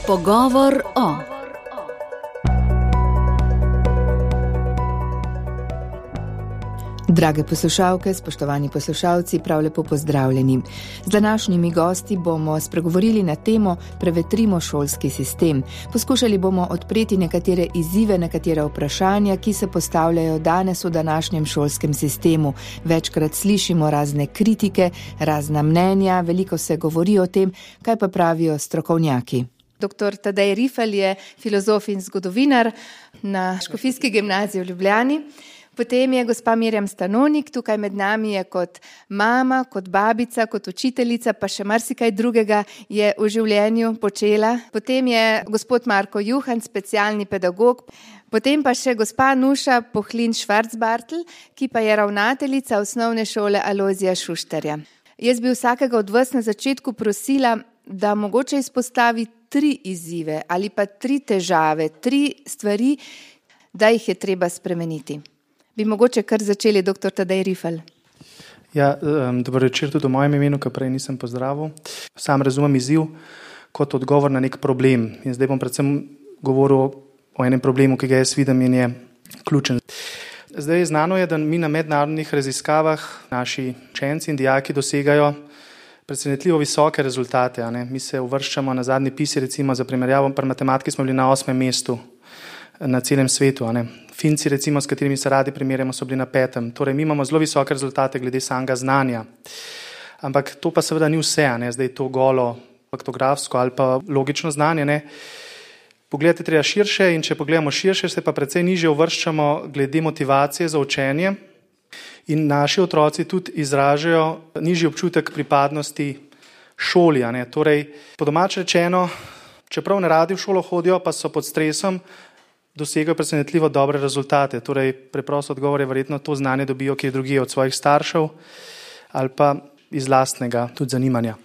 Pogovor o. Drage poslušalke, spoštovani poslušalci, prav lepo pozdravljeni. Z današnjimi gosti bomo spregovorili na temo Prevetrimo šolski sistem. Poskušali bomo odpreti nekatere izzive, nekatera vprašanja, ki se postavljajo danes v današnjem šolskem sistemu. Večkrat slišimo razne kritike, razna mnenja, veliko se govori o tem, kaj pa pravijo strokovnjaki. Dr. Tadej Rifelj je filozof in zgodovinar na Škofijski gimnaziji v Ljubljani. Potem je gospa Mirjam Stanonik, tukaj med nami je kot mama, kot babica, kot učiteljica, pa še marsikaj drugega je v življenju počela. Potem je gospod Marko Juhan, specialni pedagog. Potem pa še gospa Nuša Pohlin Švarcbartl, ki pa je ravnateljica osnovne šole Alojzija Šuštarja. Jaz bi vsakega od vas na začetku prosila, da mogoče izpostavi 3 izzive ali pa 3 težave, 3 stvari, da jih je treba spremeniti. Bi mogoče kar začeli, dr. Tadej Rifelj. Ja, dobro večer tudi v mojem imenu, ki prej nisem pozdravil. Sam razumem izziv kot odgovor na nek problem. In zdaj bom predvsem govoril o enem problemu, ki ga jaz vidim in je ključen. Zdaj znano je, da mi na mednarodnih raziskavah naši učenci in dijaki dosegajo presenetljivo visoke rezultate. Mi se uvrščamo na zadnji PISA, recimo za primerjavo, pri matematiki smo bili na 8. mestu na celem svetu. Finci, recimo, s katerimi se radi primerjamo, so bili na 5. Torej, mi imamo zelo visoke rezultate glede samega znanja. Ampak to pa seveda ni vse, zdaj to golo faktografsko ali pa logično znanje. Pogledajte treba širše in če pogledamo širše, se pa precej nižje uvrščamo glede motivacije za učenje in naši otroci tudi izražajo nižji občutek pripadnosti šoli. Torej, po domače rečeno, čeprav ne radi v šolo hodijo, pa so pod stresom, dosegajo presenetljivo dobre rezultate. Torej, preprosto odgovor je verjetno to znanje dobijo kje drugje od svojih staršev ali pa iz lastnega tudi zanimanja.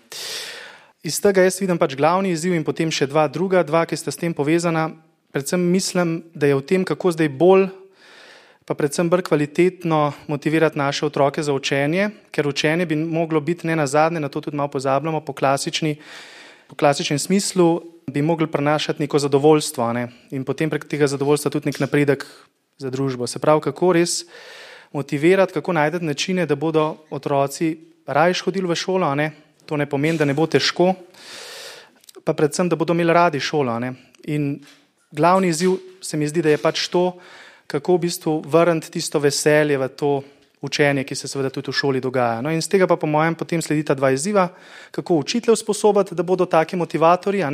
Iz tega jaz vidim glavni izziv in potem še druga dva, ki sta s tem povezana. Predvsem mislim, da je v tem, kako zdaj bolj, pa predvsem bolj kvalitetno motivirati naše otroke za učenje, ker učenje bi moglo biti ne nazadnje, na to tudi malo pozabljamo, po klasičnem smislu bi mogli prenašati neko zadovoljstvo, in potem prek tega zadovoljstva tudi nek napredek za družbo. Se pravi, kako res motivirati, kako najti načine, da bodo otroci rajš hodili v šolo, to ne pomeni, da ne bo težko, pa predvsem, da bodo imeli radi šolo. In glavni izziv se mi zdi, da je to, kako v bistvu vrniti tisto veselje v to učenje, ki se seveda tudi v šoli dogaja. In z tega pa po mojem potem sledita 2 izziva, kako učitelj usposobiti, da bodo taki motivatorji,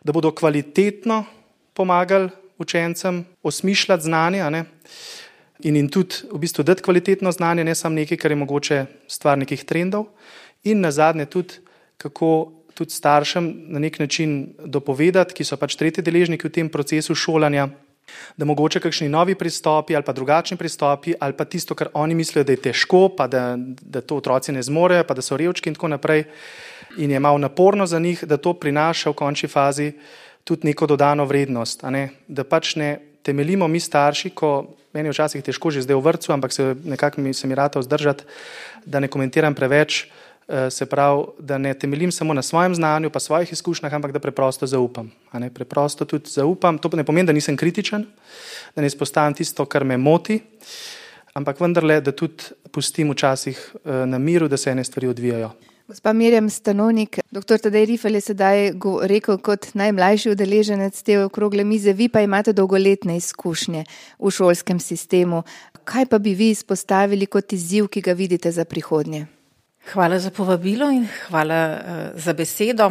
da bodo kvalitetno pomagali učencem osmišljati znanje, in tudi v bistvu dati kvalitetno znanje, ne samo nekaj, kar je mogoče stvar nekih trendov, in nazadnje tudi, kako tudi staršem na nek način dopovedati, ki so tretji deležniki v tem procesu šolanja, da mogoče kakšni novi pristopi ali pa drugačni pristopi ali pa tisto, kar oni mislijo, da je težko, pa da to otroci ne zmorejo, pa da so revčki in tako naprej in je malo naporno za njih, da to prinaša v končni fazi tudi neko dodano vrednost. Da ne temeljimo mi starši, ko meni je včasih težko že zdaj v vrtcu, ampak nekako se mi rata vzdržati, da ne komentiram preveč, se pravi, da ne temeljim samo na svojem znanju pa svojih izkušnjah, ampak da preprosto zaupam. Preprosto tudi zaupam, to ne pomeni, da nisem kritičen, da ne izpostavim tisto, kar me moti, ampak vendarle, da tudi pustim včasih na miru, da se ene stvari odvijajo. Gospa Mirjam Stanonik, dr. Tadej Rifelj je sedaj rekel kot najmlajši udeleženec te okrogle mize, vi pa imate dolgoletne izkušnje v šolskem sistemu. Kaj pa bi vi izpostavili kot izziv, ki ga vidite za prihodnje? Hvala za povabilo in hvala za besedo.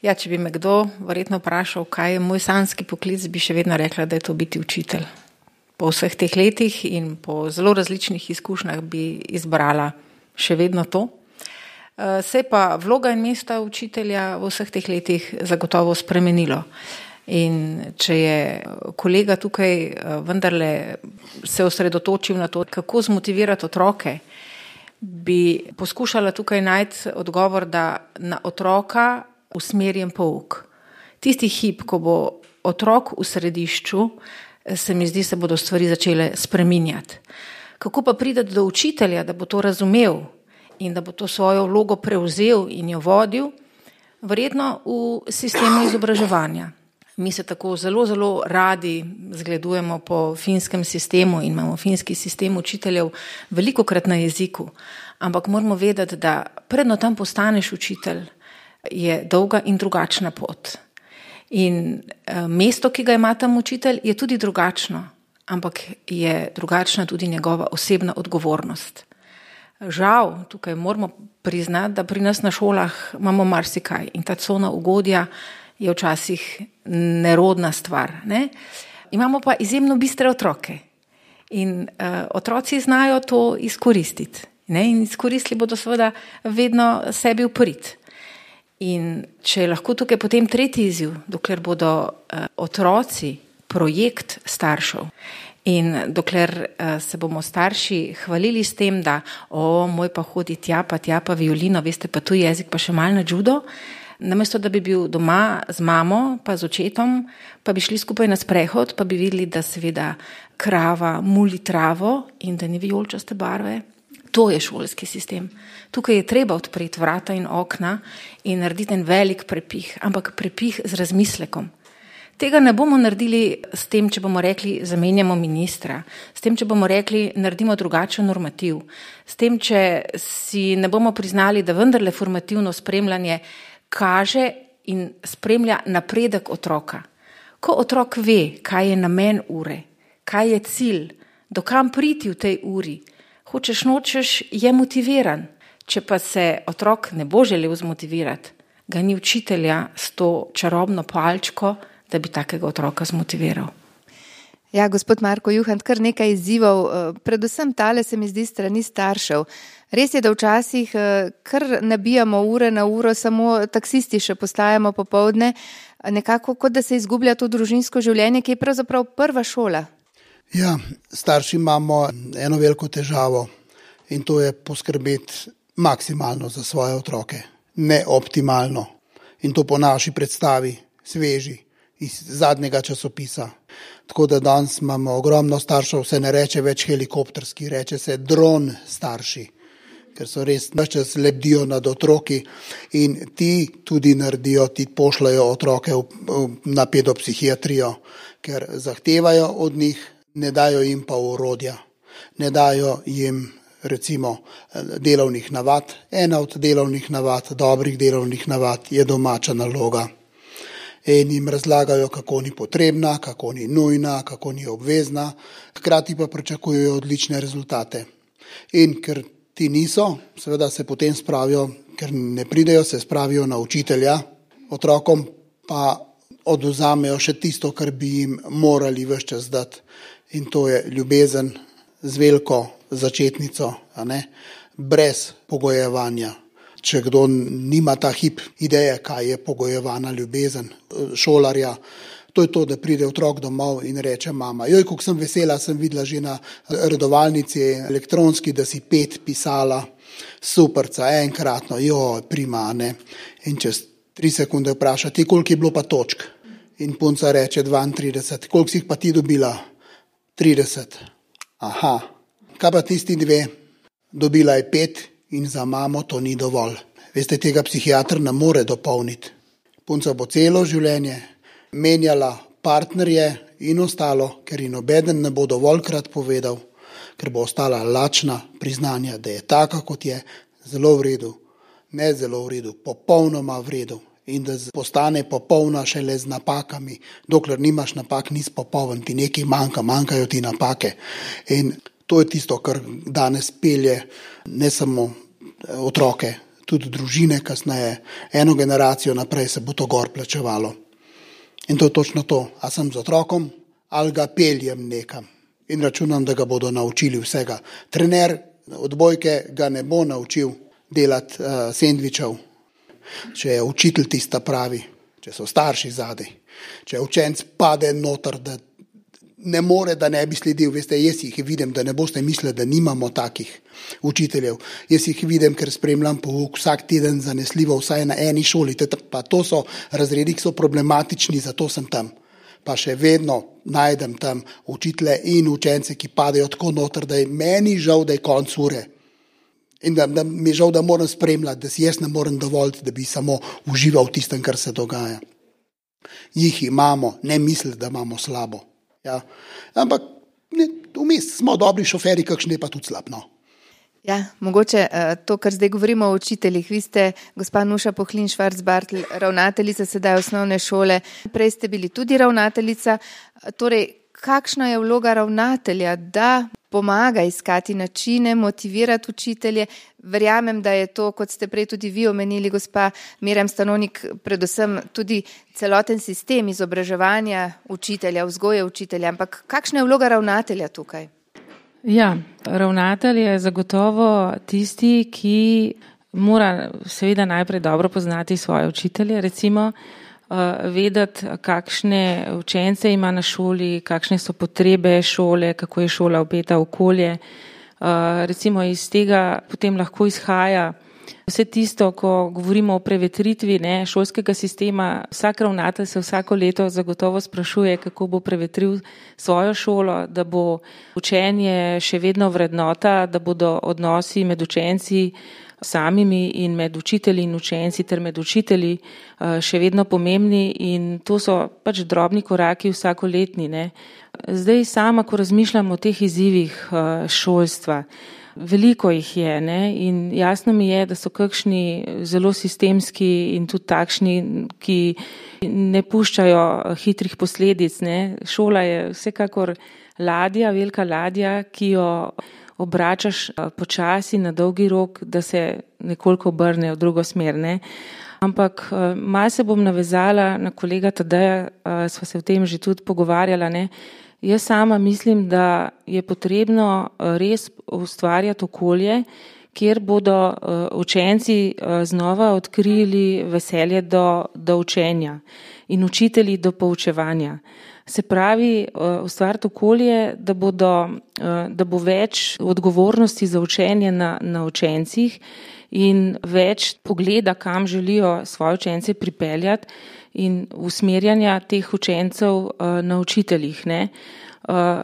Ja, če bi me kdo verjetno vprašal, kaj je moj sanjski poklic, bi še vedno rekla, da je to biti učitelj. Po vseh teh letih in po zelo različnih izkušnjah bi izbrala še vedno to. Se pa vloga in mesta učitelja v vseh teh letih zagotovo spremenilo. In če je kolega tukaj vendarle se osredotočil na to, kako zmotivirati otroke, bi poskušala tukaj najti odgovor, da na otroka usmerjen pouk. Tisti hip, ko bo otrok v središču, se mi zdi, se bodo stvari začele spreminjati. Kako pa priti do učitelja, da bo to razumel in da bo to svojo vlogo prevzel in jo vodil, Verjetno v sistemu izobraževanja. Mi se tako zelo, zelo radi zgledujemo po finskem sistemu in imamo finski sistem učiteljev velikokrat na jeziku, ampak moramo vedeti, da predno tam postaneš učitelj, je dolga in drugačna pot. In mesto, ki ga ima tam učitelj, je tudi drugačno, ampak je drugačna tudi njegova osebna odgovornost. Žal, tukaj moramo priznati, da pri nas na šolah imamo marsikaj in ta cona ugodja je včasih nerodna stvar. Ne? Imamo pa izjemno bistre otroke in otroci znajo to izkoristiti. Ne? In izkoristili bodo seveda vedno sebi v prid. In če je lahko tukaj potem tretji izziv, dokler bodo otroci projekt staršev in dokler se bomo starši hvalili s tem, da moj pa hodi tja pa violino, veste pa tuji jezik pa še malo na judo, namesto da bi bil doma z mamo pa z očetom, pa bi šli skupaj na sprehod, pa bi videli, da seveda krava muli travo in da ni vijoličaste barve. To je šolski sistem. Tukaj je treba odpreti vrata in okna in narediti en velik prepih, ampak prepih z razmislekom. Tega ne bomo naredili s tem, če bomo rekli, zamenjamo ministra, s tem, če bomo rekli, naredimo drugačen normativ, s tem, če si ne bomo priznali, da vendarle formativno spremljanje kaže in spremlja napredek otroka. Ko otrok ve, kaj je namen ure, kaj je cilj, do kam priti v tej uri, hočeš nočeš, je motiviran. Če pa se otrok ne bo želel zmotivirati, ga ni učitelja s to čarobno palčko, da bi takega otroka zmotiviral. Ja, gospod Marko Juhant, kar nekaj izzivov, predvsem tale se mi zdi strani staršev. Res je, da včasih kar nabijamo ure na uro, samo taksisti še postajamo popoldne, nekako kot da se izgublja to družinsko življenje, ki je pravzaprav prva šola. Ja, starši imamo eno veliko težavo in to je poskrbeti maksimalno za svoje otroke, ne optimalno. In to po naši predstavi, sveži, iz zadnjega časopisa. Tako da danes imamo ogromno staršev, se ne reče več helikopterski, reče se dron starši, ker so res ves čas lebdijo nad otroki in ti tudi naredijo, ti pošljajo otroke na pedopsihiatrijo, ker zahtevajo od njih, ne dajo jim pa orodja, ne dajo jim recimo delovnih navad. Ena od delovnih navad, dobrih delovnih navad je domača naloga. In jim razlagajo, kako ni potrebna, kako ni nujna, kako ni obvezna, hkrati pa pričakujejo odlične rezultate. In ker ti niso, seveda se potem spravijo, ker ne pridejo, se spravijo na učitelja, otrokom pa oduzamejo še tisto, kar bi jim morali ves čas dati. In to je ljubezen z veliko začetnico, a ne? Brez pogojevanja. Če kdo nima ta hip ideje, kaj je pogojevana ljubezen šolarja, to je to, da pride otrok domov in reče mama, joj, kako sem vesela, sem videla že na redovalnici elektronski, da si 5 pisala, superca, enkratno, joj, prima, ne. In čez 3 sekunde vpraša, ti koliko je bilo pa točk? In punca reče 32, koliko si jih pa ti dobila? 30. Aha, kaj pa tisti 2? Dobila je 5 in za mamo to ni dovolj. Veste, tega psihiater ne more dopolniti. Punca bo celo življenje menjala partnerje in ostalo, ker ji nobeden ne bo dovoljkrat povedal, ker bo ostala lačna priznanja, da je taka, kot je, zelo v redu, ne zelo v redu, popolnoma v redu. In da postane popolna šele z napakami. Dokler nimaš napak, nisi popoln, ti nekaj manjkajo ti napake. In to je tisto, kar danes pelje ne samo otroke, tudi družine kasneje. Eno generacijo naprej se bo to gor plačevalo. In to je točno to. A sem z otrokom ali ga peljem nekam. In računam, da ga bodo naučili vsega. Trener odbojke ga ne bo naučil delati sendvičev. Če je učitelj tista pravi, če so starši zadaj, če učenec pade noter, da ne more, da ne bi sledil. Veste, jaz jih vidim, da ne boste mislili, da nimamo takih učiteljev. Jaz jih vidim, ker spremljam pouk vsak teden zanesljivo, vsaj na eni šoli. Pa to so razredi, ki so problematični, zato sem tam. Pa še vedno najdem tam učitelje in učence, ki padejo tako noter, da je meni žal, da je konc ure. In da mi je žal, da moram spremljati, da si jaz ne morem dovoliti, da bi samo užival v tistem, kar se dogaja. Jih imamo, ne misliti, da imamo slabo. Ja. Ampak vmes smo dobri šoferi, kakšni je pa tudi slab. No. Ja, mogoče to, kar zdaj govorimo o učiteljih. Vi ste, gospa Nuša Pohlin-Švarc-Bartl, ravnateljica sedaj osnovne šole. Prej ste bili tudi ravnateljica. Torej, kakšna je vloga ravnatelja, da pomaga iskati načine, motivirati učitelje? Verjamem, da je to, kot ste prej tudi vi omenili, gospa Mirjam Stanovnik, predvsem tudi celoten sistem izobraževanja učitelja, vzgoje učitelja. Ampak kakšna je vloga ravnatelja tukaj? Ja, ravnatelj je zagotovo tisti, ki mora seveda najprej dobro poznati svoje učitelje, recimo vedeti, kakšne učence ima na šoli, kakšne so potrebe šole, kako je šola vpeta v okolje. Recimo iz tega potem lahko izhaja vse tisto, ko govorimo o prevetritvi šolskega sistema. Vsak ravnatelj se vsako leto zagotovo sprašuje, kako bo prevetril svojo šolo, da bo učenje še vedno vrednota, da bodo odnosi med učenci samimi in med učitelji in učenci ter med učitelji še vedno pomembni, in to so pač drobni koraki vsakoletni. Zdaj sama, ko razmišljam o teh izzivih šolstva, veliko jih je in jasno mi je, da so kakšni zelo sistemski in tudi takšni, ki ne puščajo hitrih posledic. Šola je vsekakor ladja, velika ladja, ki jo obračaš počasi na dolgi rok, da se nekoliko obrne v drugo smer. Ampak malo se bom navezala na kolega Tadeja, sva se o tem že tudi pogovarjala. Jaz sama mislim, da je potrebno res ustvarjati okolje, kjer bodo učenci znova odkrili veselje do učenja in učitelji do poučevanja. Se pravi, ustvariti okolje, da bo več odgovornosti za učenje na učencih in več pogleda, kam želijo svoje učence pripeljati, in usmerjanja teh učencev na učiteljih.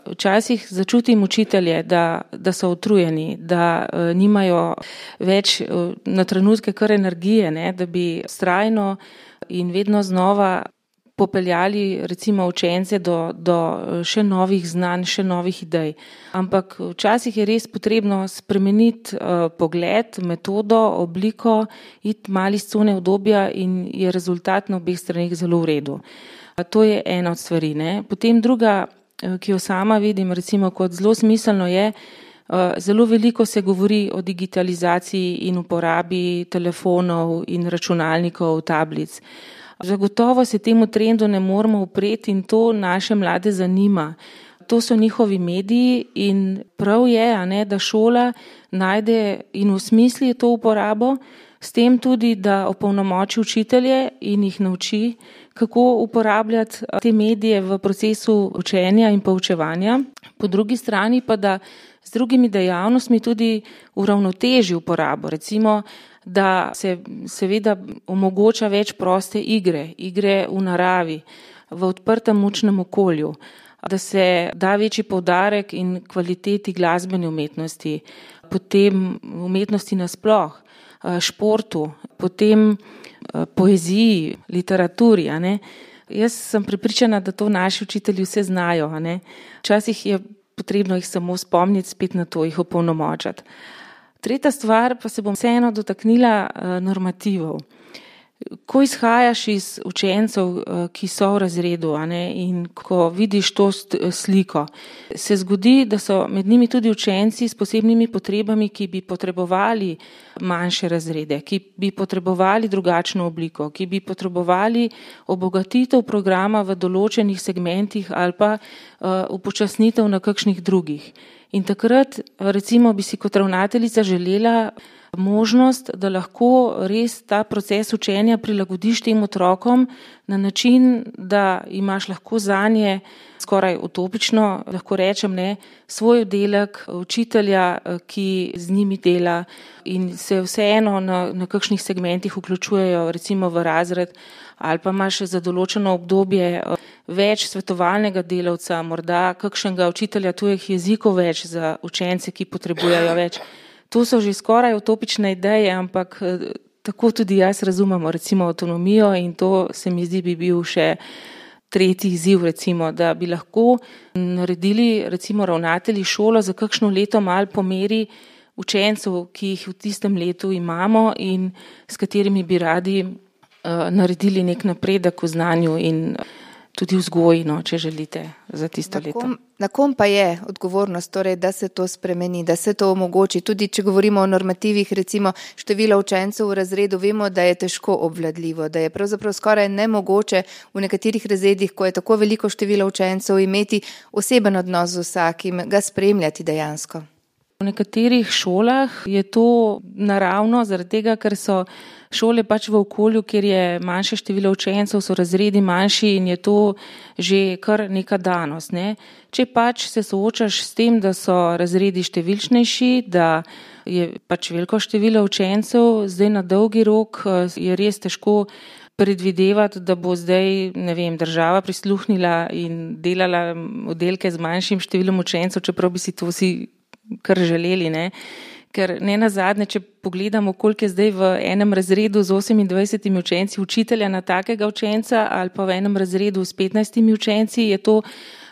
Včasih začutim učitelje, da so utrujeni, da nimajo več na trenutke kar energije, da bi vztrajno in vedno znova popeljali recimo učence do še novih znanj, še novih idej. Ampak včasih je res potrebno spremeniti pogled, metodo, obliko, iti malo iz cone udobja, in je rezultat na obeh straneh zelo v redu. To je ena od stvari. Potem druga, ki jo sama vidim recimo kot zelo smiselno, je, zelo veliko se govori o digitalizaciji in uporabi telefonov in računalnikov, tablic. Zagotovo se temu trendu ne moramo upreti in to naše mlade zanima. To so njihovi mediji in prav je, da šola najde in osmisli to uporabo, s tem tudi, da opolnomoči učitelje in jih nauči, kako uporabljati te medije v procesu učenja in poučevanja. Po drugi strani pa, da z drugimi dejavnostmi tudi uravnoteži uporabo. Recimo, da se seveda omogoča več proste igre v naravi, v odprtem učnem okolju, da se da večji poudarek in kvaliteti glasbene umetnosti, potem umetnosti nasploh, športu, potem poeziji, literaturi. Jaz sem prepričana, da to naši učitelji vse znajo. Včasih je potrebno jih samo spomniti spet na to, jih opolnomočati. Tretja stvar pa se bom vseeno dotaknila normativov. Ko izhajaš iz učencev, ki so v razredu, in ko vidiš to sliko, se zgodi, da so med njimi tudi učenci s posebnimi potrebami, ki bi potrebovali manjše razrede, ki bi potrebovali drugačno obliko, ki bi potrebovali obogatitev programa v določenih segmentih ali pa upočasnitev na kakšnih drugih. In takrat recimo bi si kot ravnateljica želela možnost, da lahko res ta proces učenja prilagodiš tem otrokom na način, da imaš lahko zanje skoraj utopično, lahko rečem, svoj oddelek učitelja, ki z njimi dela in se vseeno na kakšnih segmentih vključujejo recimo v razred, ali pa imaš za določeno obdobje več svetovalnega delavca, morda kakšnega učitelja tujih jezikov več za učence, ki potrebujejo več. to so že skoraj utopične ideje, ampak tako tudi jaz razumemo recimo avtonomijo in to se mi zdi bi bil še tretji izziv, recimo, da bi lahko naredili recimo ravnatelji šolo za kakšno leto malo po meri učencev, ki jih v tistem letu imamo in s katerimi bi radi naredili nek napredek v znanju in tudi vzgoji, no, če želite, za tisto leto. Na kom pa je odgovornost, torej, da se to spremeni, da se to omogoči? Tudi če govorimo o normativih, recimo število učencev v razredu, vemo, da je težko obvladljivo, da je pravzaprav skoraj nemogoče v nekaterih razredih, ko je tako veliko število učencev, imeti oseben odnos z vsakim, ga spremljati dejansko. V nekaterih šolah je to naravno, zaradi tega, ker so šole pač v okolju, kjer je manjše število učencev, so razredi manjši in je to že kar neka danost. Ne? Če pač se soočaš s tem, da so razredi številčnejši, da je pač veliko število učencev, zdaj na dolgi rok je res težko predvidevati, da bo zdaj, ne vem, država prisluhnila in delala oddelke z manjšim številom učencev, čeprav bi si to vsi kar želeli, ne? Ker ne nazadnje, če pogledamo, koliko je zdaj v enem razredu z 28 učenci učitelja na takega učenca ali pa v enem razredu s 15 učenci, je to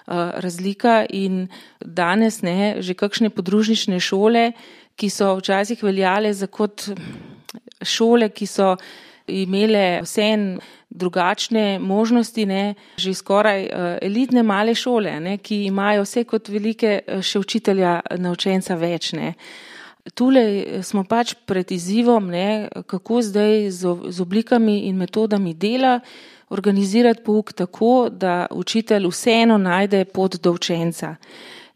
razlika in danes že kakšne podružnične šole, ki so včasih veljale za kot šole, ki so imele vseeno drugačne možnosti, že skoraj elitne male šole, ki imajo vse kot velike še učitelja na učenca več. Tule smo pač pred izzivom, kako zdaj z oblikami in metodami dela organizirati pouk tako, da učitelj vseeno najde pot do učenca.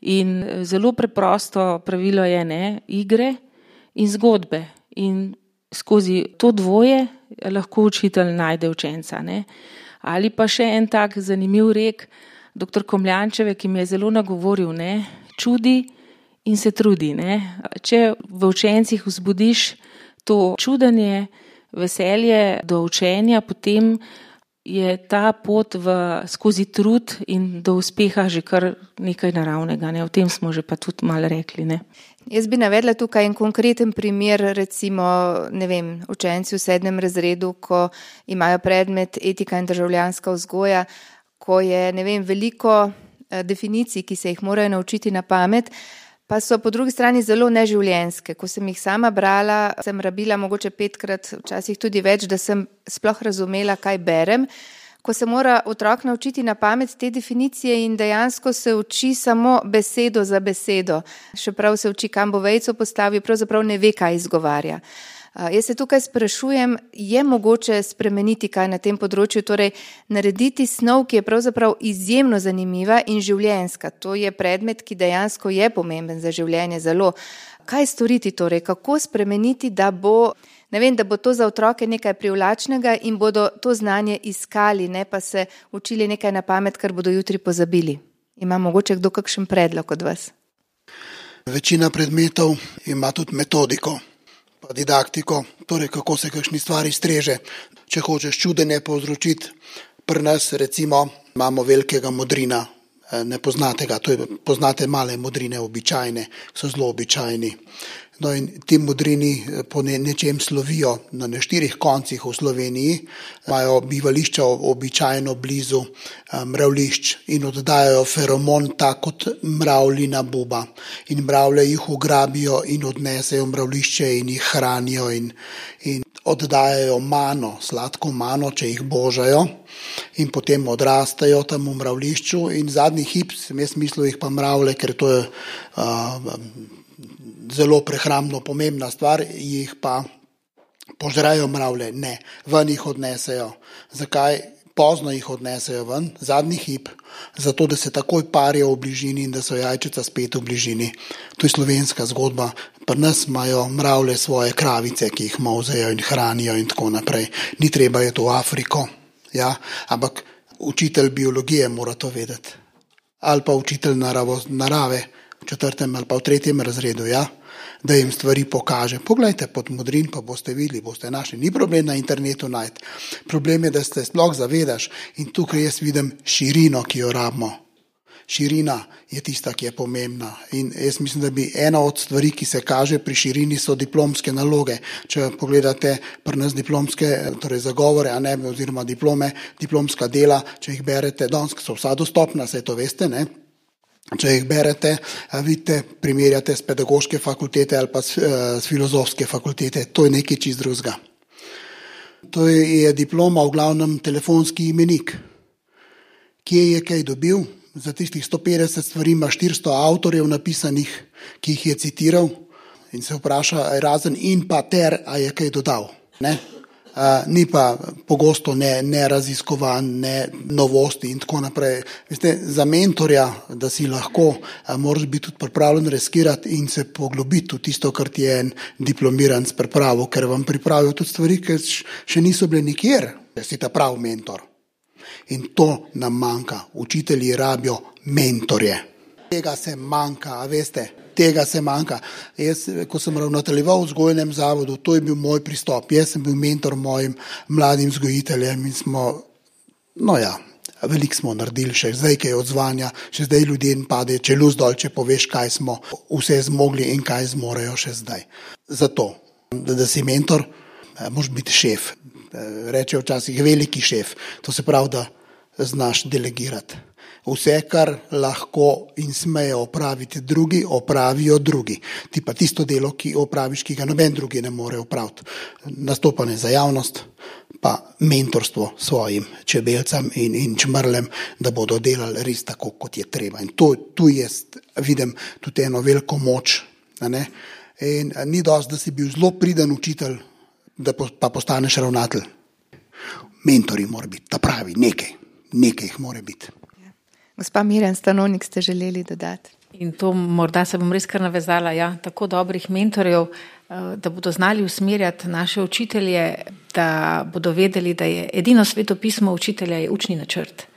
In zelo preprosto pravilo je igre in zgodbe. In skozi to dvoje lahko učitelj najde učenca. Ali pa še en tak zanimiv rek dr. Komljančeve, ki mi je zelo nagovoril, čudi in se trudi. Če v učencih vzbudiš to čudenje, veselje do učenja, potem je ta pot skozi trud in do uspeha že kar nekaj naravnega. O tem smo že pa tudi malo rekli. Jaz bi navedla tukaj en konkreten primer, recimo, učenci v 7. razredu, ko imajo predmet etika in državljanska vzgoja, ko je, veliko definicij, ki se jih morajo naučiti na pamet, pa so po drugi strani zelo neživljenjske. Ko sem jih sama brala, sem rabila mogoče 5-krat, včasih tudi več, da sem sploh razumela, kaj berem. Ko se mora otrok naučiti na pamet te definicije in dejansko se uči samo besedo za besedo, še prav se uči, kam bo vejico postavil, pravzaprav ne ve, kaj izgovarja. Jaz se tukaj sprašujem, je mogoče spremeniti kaj na tem področju, torej narediti snov, ki je pravzaprav izjemno zanimiva in življenjska. To je predmet, ki dejansko je pomemben za življenje zelo. Kaj storiti torej, kako spremeniti, da bo to za otroke nekaj privlačnega in bodo to znanje iskali, ne pa se učili nekaj na pamet, kar bodo jutri pozabili. Ima mogoče kdo kakšen predlog od vas? Večina predmetov ima tudi metodiko, pa didaktiko, torej kako se kakšni stvari streže. Če hočeš čudenje povzročiti, pri nas recimo imamo velikega modrina, ne poznate ga, poznate male modrine običajne, so zelo običajni. No in ti modrini po nečem slovijo na 4 koncih v Sloveniji, imajo bivališča običajno blizu mravljišč in oddajajo feromon tak kot mravljina buba. In mravlje jih ugrabijo in odnesejo mravljišče in jih hranijo in oddajajo mano, sladko mano, če jih božajo in potem odrastajo tam v mravljišču in zadnji hip, sem jaz mislil jih pa mravlje, ker to je zelo prehrambno pomembna stvar, jih pa požrejo mravlje. Ne, ven jih odnesejo. Zakaj? Pozno jih odnesejo ven, zadnji hip, zato da se takoj parijo v bližini in da so jajčica spet v bližini. To je slovenska zgodba. Pri nas imajo mravlje svoje kravice, ki jih molzejo in hranijo in tako naprej. Ni treba je to v Afriko, ampak učitelj biologije mora to vedeti. Ali pa učitelj narave, v 4. ali pa v 3. razredu, da jim stvari pokaže. Poglejte pod modrin, pa boste videli, boste našli. Ni problem na internetu najti. Problem je, da se sploh zavedaš in tukaj jaz vidim širino, ki jo rabimo. širina je tista, ki je pomembna. In jaz mislim, da bi ena od stvari, ki se kaže pri širini, so diplomske naloge. Če pogledate pri nas diplomske, torej zagovore, oziroma diplomska dela, če jih berete, danes so vsa dostopna, saj to veste, ne? Če jih berete, vidite, primerjate s pedagoške fakultete ali pa s filozofske fakultete, to je nekaj čist drugega. To je diploma v glavnem telefonski imenik. Kje je kaj dobil? Za tistih 150 stvari ima 400 avtorjev napisanih, ki jih je citiral in se vpraša, razen in pa ter, a je kaj dodal. Ne? Ni pa pogosto ne raziskovan, ne novosti in tako naprej. Veste, za mentorja, da si lahko, moraš biti tudi pripravljen riskirati in se poglobiti v tisto, kar ti je en diplomiran s pripravo, ker vam pripravijo tudi stvari, ki še niso bile nikjer, da si ta prav mentor. In to nam manjka. Učitelji rabijo mentorje. Tega se manjka, a veste? Tega se manjka. Jaz, ko sem ravnateljeval v vzgojnem zavodu, to je bil moj pristop. Jaz sem bil mentor mojim mladim vzgojiteljem in smo, veliko smo naredili še zdaj, kaj je odzvanja, še zdaj ljudem pade čeluz dol, če poveš, kaj smo vse zmogli in kaj zmorejo še zdaj. Zato, da si mentor, moraš biti šef. Reče včasih veliki šef. To se pravi, da znaš delegirati. Vse, kar lahko in smejo opraviti drugi, opravijo drugi. Ti pa tisto delo, ki opraviš, ki ga noben drugi ne more opraviti. Nastopanje za javnost, pa mentorstvo svojim čebelcem in čmrlem, da bodo delali res tako, kot je treba. In tu jaz vidim tudi eno veliko moč. Ne? In ni dosti, da si bil zelo priden učitelj, da pa postaneš ravnatelj. Mentori mora biti, ta pravi, nekaj jih mora biti. Gospa Mirjam Stanovnik, ste želeli dodati? In to morda se bom res kar navezala, tako dobrih mentorjev, da bodo znali usmerjati naše učitelje, da bodo vedeli, da je edino svetopismo učitelja je učni načrt.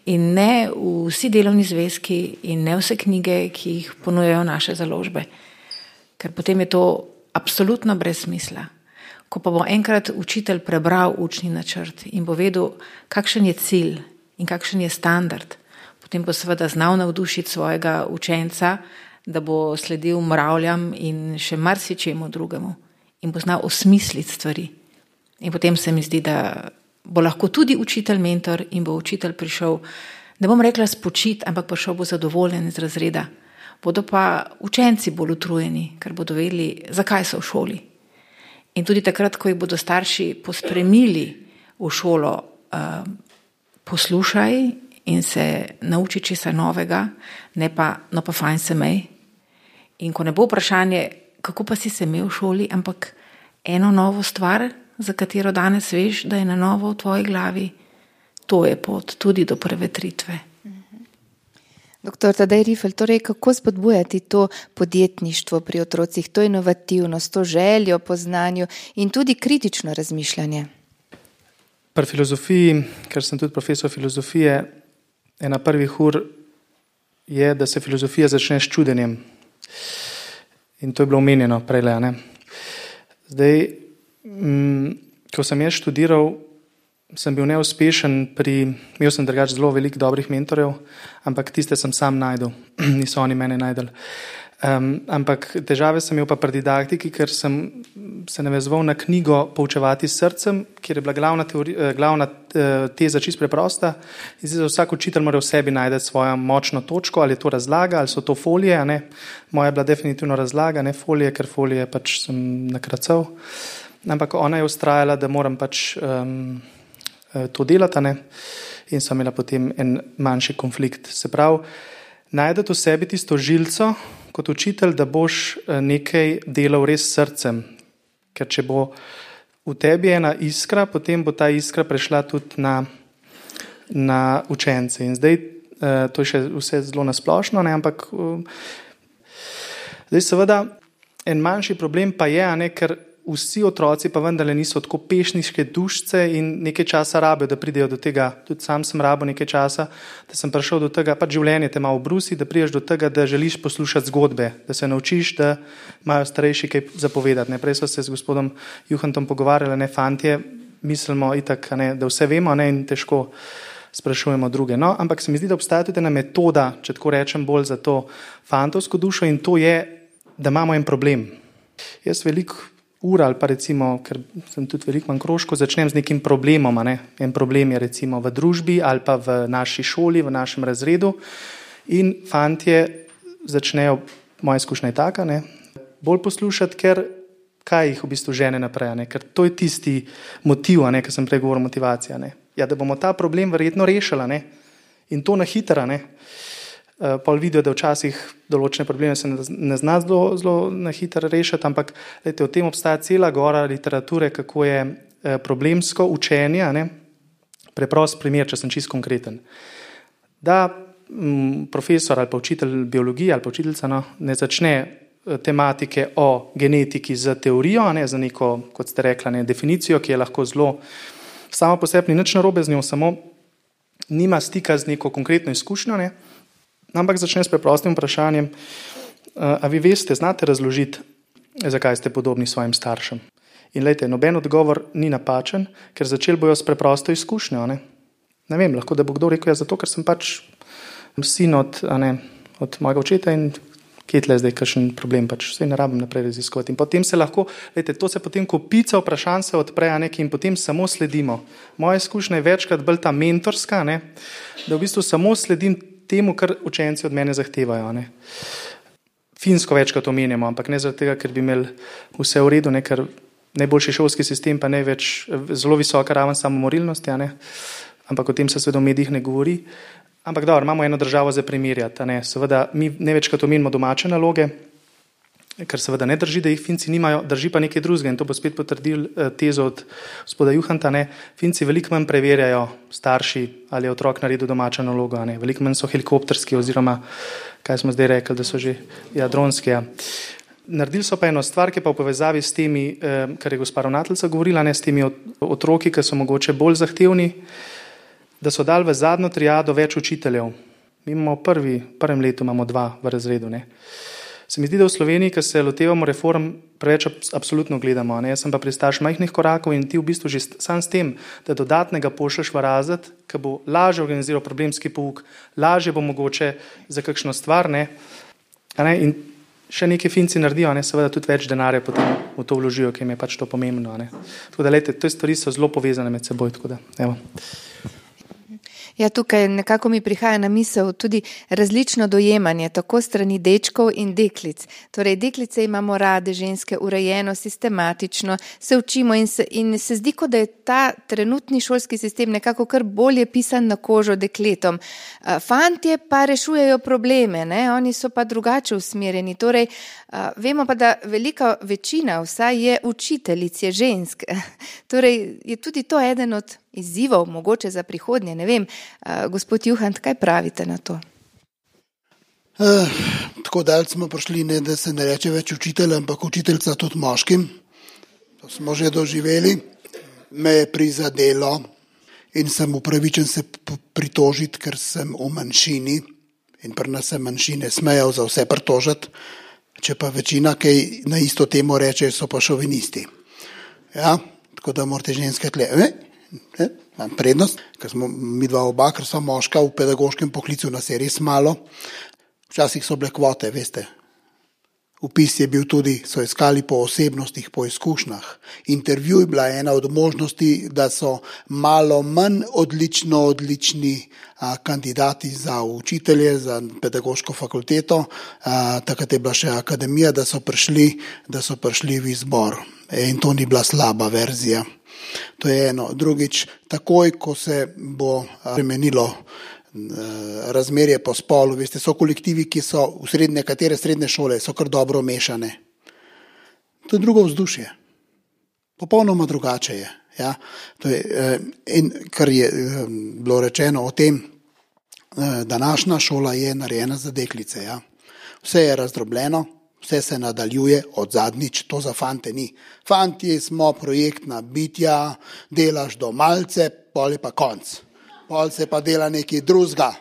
In ne vsi delovni zvezki in ne vse knjige, ki jih ponujajo naše založbe. Ker potem je to absolutno brez smisla. Ko pa bo enkrat učitelj prebral učni načrt in bo vedel, kakšen je cilj in kakšen je standard, potem bo seveda znal navdušiti svojega učenca, da bo sledil mravljam in še marsičemu drugemu in bo znal osmisliti stvari. In potem se mi zdi, da bo lahko tudi učitelj mentor in bo učitelj prišel, ne bom rekla spočit, ampak prišel bo zadovoljen iz razreda. Bodo pa učenci bolj utrujeni, ker bodo vedeli, zakaj so v šoli. In tudi takrat, ko jih bodo starši pospremili v šolo, poslušaj in se nauči česa novega, ne pa, no pa fajn se mej. In ko ne bo vprašanje, kako pa si se imel v šoli, ampak eno novo stvar, za katero danes veš, da je na novo v tvoji glavi, to je pot tudi do prevetritve. Doktor Tadej Rifel, torej kako spodbujati to podjetništvo pri otrocih, to inovativnost, to željo po znanju in tudi kritično razmišljanje? Pri filozofiji, ker sem tudi profesor filozofije, ena prvih ur je, da se filozofija začne s čudenjem. In to je bilo omenjeno prej. Zdaj, ko sem jaz študiral, sem bil neuspešen imel sem drugače zelo veliko dobrih mentorjev, ampak tiste sem sam najdel, niso oni mene najdel. Ampak težave sem imel pa pri didaktiki, ker sem se navezoval na knjigo Poučevati s srcem, kjer je bila glavna teza čisto preprosta. In zdaj vsak učitelj mora v sebi najti svojo močno točko, ali je to razlaga, ali so to folije. Moja je bila definitivno razlaga, ne folije, ker folije pač sem nakracal. Ampak ona je ustrajala, da moram pač to delati, in so imela potem en manjši konflikt. Se pravi, najdete v sebi tisto žilco kot učitelj, da boš nekaj delal res srcem. Ker če bo v tebi ena iskra, potem bo ta iskra prešla tudi na učence. In zdaj, to je še vse zelo nasplošno, ampak zdaj seveda en manjši problem pa je, ker vsi otroci pa vendarle niso tako pešniške dušice in nekaj časa rabijo, da pridejo do tega. Tudi sam sem rabil nekaj časa, da sem prišel do tega, pač življenje te malo brusi, da prideš do tega, da želiš poslušati zgodbe, da se naučiš, da imajo starejši kaj zapovedati. Prej so se z gospodom Juhantom pogovarjali, fantje, mislimo itak, da vse vemo, in težko sprašujemo druge. No, ampak se mi zdi, da obstaja tudi ena metoda, če tako rečem, bolj za to fantovsko dušo in to je, da imamo en problem. Jaz veliko ur ali pa recimo, ker sem tudi veliko manj krožko, začnem z nekim problemom. Ne? En problem je recimo v družbi ali pa v naši šoli, v našem razredu in fantje začnejo, moja izkušnja je taka, ne? Bolj poslušati, ker kaj jih v bistvu žene naprej, ne? Ker to je tisti motiv, ne? Ker sem prej govoril motivacija. Ne? Ja, da bomo ta problem verjetno rešili, ne? In to na hitro. Pol vidijo, da včasih določene probleme se ne zna zelo na hitro rešiti, ampak lejte, v tem obstaja cela gora literature, kako je problemsko učenje, ne? Preprost primer, če sem čisto konkreten. Da profesor ali pa učitelj biologije ali pa učiteljica ne začne tematike o genetiki z teorijo, ne, za neko, kot ste rekla, ne, definicijo, ki je lahko zelo samo po sebi, ni nič narobe z njo, samo nima stika z neko konkretno izkušnjo, ne, ampak začne s preprostim vprašanjem, a vi veste, znate razložiti, zakaj ste podobni svojim staršem. In lejte, noben odgovor ni napačen, ker začeli bojo s preprosto izkušnjo. Ne vem, lahko da bo kdo rekel, ja, zato, ker sem pač sin od mojega očeta in kje tle zdaj kakšen problem, pač vse ne rabim naprej raziskovati. In potem se lahko, lejte, to se potem kopica vprašanj se odpre, in potem samo sledimo. Moja izkušnja je večkrat bolj ta mentorska, ne, da v bistvu samo sledim temu, kar učenci od mene zahtevajo. Ne. Finsko večkrat omenjamo, ampak ne zaradi tega, ker bi imeli vse v redu, ne, ker najboljši šolski sistem pa največ zelo visoka raven samomorilnosti, ampak o tem se seveda v medijih ne govori. Ampak dobro, imamo eno državo za primerjati. Seveda mi največkrat omenimo domače naloge, ker seveda ne drži, da jih Finci nimajo, drži pa nekaj drugega in to bo spet potrdil tezo od gospoda Juhanta. Finci veliko manj preverjajo starši, ali je otrok naredil domačo nalogo. Veliko manj so helikopterski oziroma, kaj smo zdaj rekli, da so že dronski. Naredili so pa eno stvar, ki pa v povezavi s temi, kar je gospa ravnateljica govorila, s temi otroki, ki so mogoče bolj zahtevni, da so dali v zadnjo triado več učiteljev. Mi imamo prvem letu imamo 2 v razredu. Se mi zdi, da v Sloveniji, ko se lotevamo reform, preveč absolutno gledamo. Jaz sem pa pristaš majhnih korakov in ti v bistvu že sam s tem, da dodatnega pošlješ v razred, ki bo lažje organiziral problemski pouk, lažje bo mogoče za kakšno stvar. In še nekaj Finci naredijo, seveda tudi več denarja potem v to vložijo, ki jim je pač to pomembno. Tako da, lejte, te stvari so zelo povezane med seboj. Tako da, evo. Ja, tukaj nekako mi prihaja na misel tudi različno dojemanje, tako strani dečkov in deklic. Torej, deklice imamo rade, ženske urejeno, sistematično, se učimo in se zdi, kot da je ta trenutni šolski sistem nekako kar bolje pisan na kožo dekletom. Fantje pa rešujejo probleme, oni so pa drugače usmerjeni. Torej, vemo pa, da velika večina vsaj je učiteljic, je žensk. Torej, je tudi to eden od izzivov, mogoče za prihodnje, ne vem. Gospod Juhant, kaj pravite na to? Tako dalj smo prišli, ne, da se ne reče več učitelj, ampak učiteljca tudi moškim. To smo že doživeli. Me je prizadelo in sem upravičen se pritožiti, ker sem v manjšini in pri nas se manjšine smejo za vse pritožiti. Če pa večina, kaj na isto temo reče, so pa šovinisti. Ja, tako da morate ženske tle... Imam prednost, ker smo mi dva oba, ker so moška v pedagoškem poklicu, nas je res malo. Včasih so bile kvote, veste. Vpis je bil tudi, so iskali po osebnostih, po izkušnjah. Intervju je bila ena od možnosti, da so malo manj odlični kandidati za učitelje, za pedagoško fakulteto. Takrat je bila še akademija, da so prišli v izbor. In to ni bila slaba verzija. To je eno. Drugič, takoj, ko se bo spremenilo razmerje po spolu, veste, so kolektivi, ki so nekatere srednje šole, so kar dobro mešane. To je drugo vzdušje. Popolnoma drugače je. Ja? To je in kar je bilo rečeno o tem, današnja šola je narejena za deklice. Ja? Vse je razdrobljeno. Vse se nadaljuje od zadnjič, to za fante ni. Fantje smo projektna bitja, delaš do malce, pol je pa konc. Pol se pa dela nekaj drugega.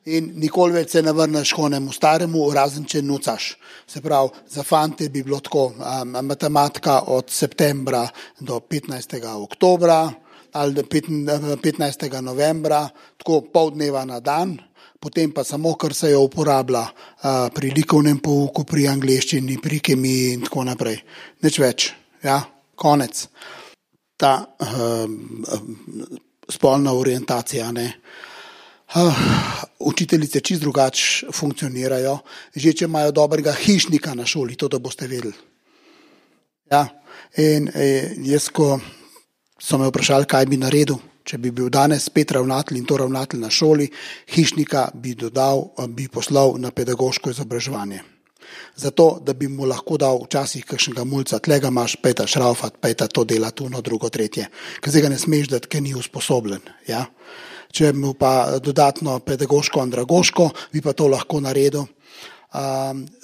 In nikoli več se ne vrneš konemu staremu, razen če nucaš. Se pravi, za fante bi bilo tako matematika od septembra do 15. oktobra, ali 15. novembra, tako pol dneva na dan, potem pa samo, kar se jo uporablja pri likovnem pouku, pri angleščini, pri kemiji in tako naprej. Nič več, ja, konec. Ta spolna orientacija, ne. Učiteljice čisto drugače funkcionirajo, že če imajo dobrega hišnika na šoli, to da boste vedeli. Ja, in jaz, ko so me vprašali, kaj bi naredil, če bi bil danes spet ravnatelj in to ravnatelj na šoli, hišnika bi poslal na pedagoško izobraževanje. Zato, da bi mu lahko dal včasih kakšnega mulca, tlega imaš, pejta šraufat, pejta to dela, tuno, drugo, tretje. Ker zdaj ga ne smeš dati, ker ni usposobljen. Ja? Če mu pa dodatno pedagoško, andragoško, bi pa to lahko naredil.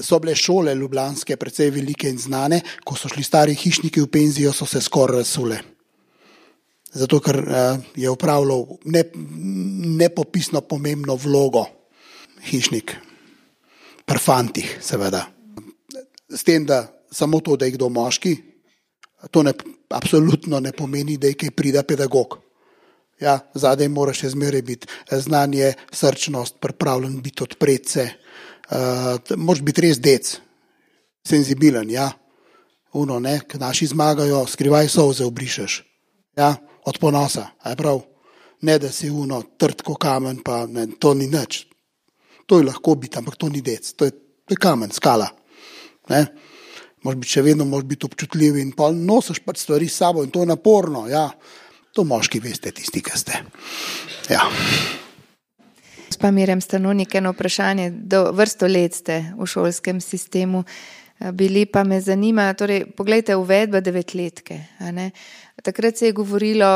So bile šole ljubljanske precej velike in znane, ko so šli stari hišniki v penzijo, so se skoraj razsule. Zato, ker je upravljal nepopisno pomembno vlogo hišnik. Pri fantih, seveda. S tem, da samo to, da je kdo moški, to absolutno ne pomeni, da je kaj prida pedagog. Ja, zadaj moraš še zmeraj biti znanje, srčnost, pripravljen biti odpret se. Moraš biti res dec, senzibilen, ja. Uno, ne, ko naši zmagajo, skrivaj solze obrišeš. Ja, od ponosa, a je prav. Ne, da si uno, trd ko kamen, pa ne, to ni nič. To je lahko biti, ampak to ni dec. To je kamen, skala. Ne? Moraš biti še vedno, moraš biti občutljiv in pa nosiš pač stvari s sabo in to je naporno, ja. To moški veste, tisti, ki ste. Ja. Gospa Mirjam Stanovnik, eno vprašanje. Vrsto let ste v šolskem sistemu bili, pa me zanima, torej, poglejte, uvedba 9-letke. Takrat se je govorilo,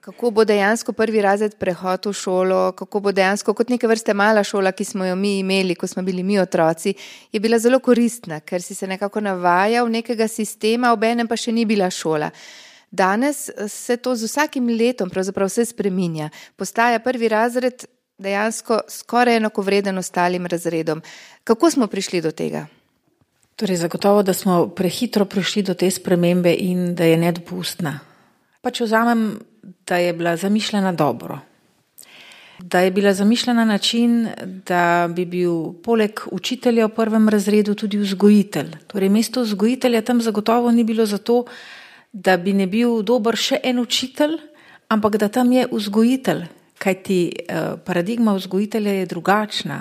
kako bo dejansko prvi razred prehod v šolo, kako bo dejansko kot neke vrste mala šola, ki smo jo mi imeli, ko smo bili mi otroci, je bila zelo koristna, ker si se nekako navajal nekega sistema, obenem pa še ni bila šola. Danes se to z vsakim letom pravzaprav vse spreminja. Postaja prvi razred dejansko skoraj enakovreden ostalim razredom. Kako smo prišli do tega? Torej, zagotovo, da smo prehitro prišli do te spremembe in da je nedopustna. Pa če vzamem, da je bila zamišljena dobro. Da je bila zamišljena na način, da bi bil poleg učitelja v prvem razredu tudi vzgojitelj. Torej, mesto vzgojitelja tam zagotovo ni bilo zato, da bi ne bil dober še en učitelj, ampak da tam je vzgojitelj, kajti paradigma vzgojitelja je drugačna.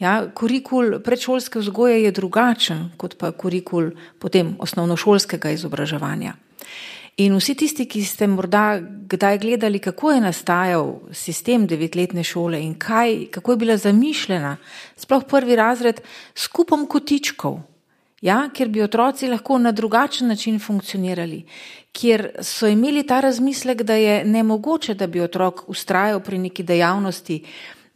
Ja, kurikul predšolske vzgoje je drugačen, kot pa kurikul potem osnovnošolskega izobraževanja. In vsi tisti, ki ste morda kdaj gledali, kako je nastajal sistem 9-letne šole in kako je bila zamišljena, sploh prvi razred, s kupom kotičkov, ja, kjer bi otroci lahko na drugačen način funkcionirali, kjer so imeli ta razmislek, da je nemogoče, da bi otrok vztrajal pri neki dejavnosti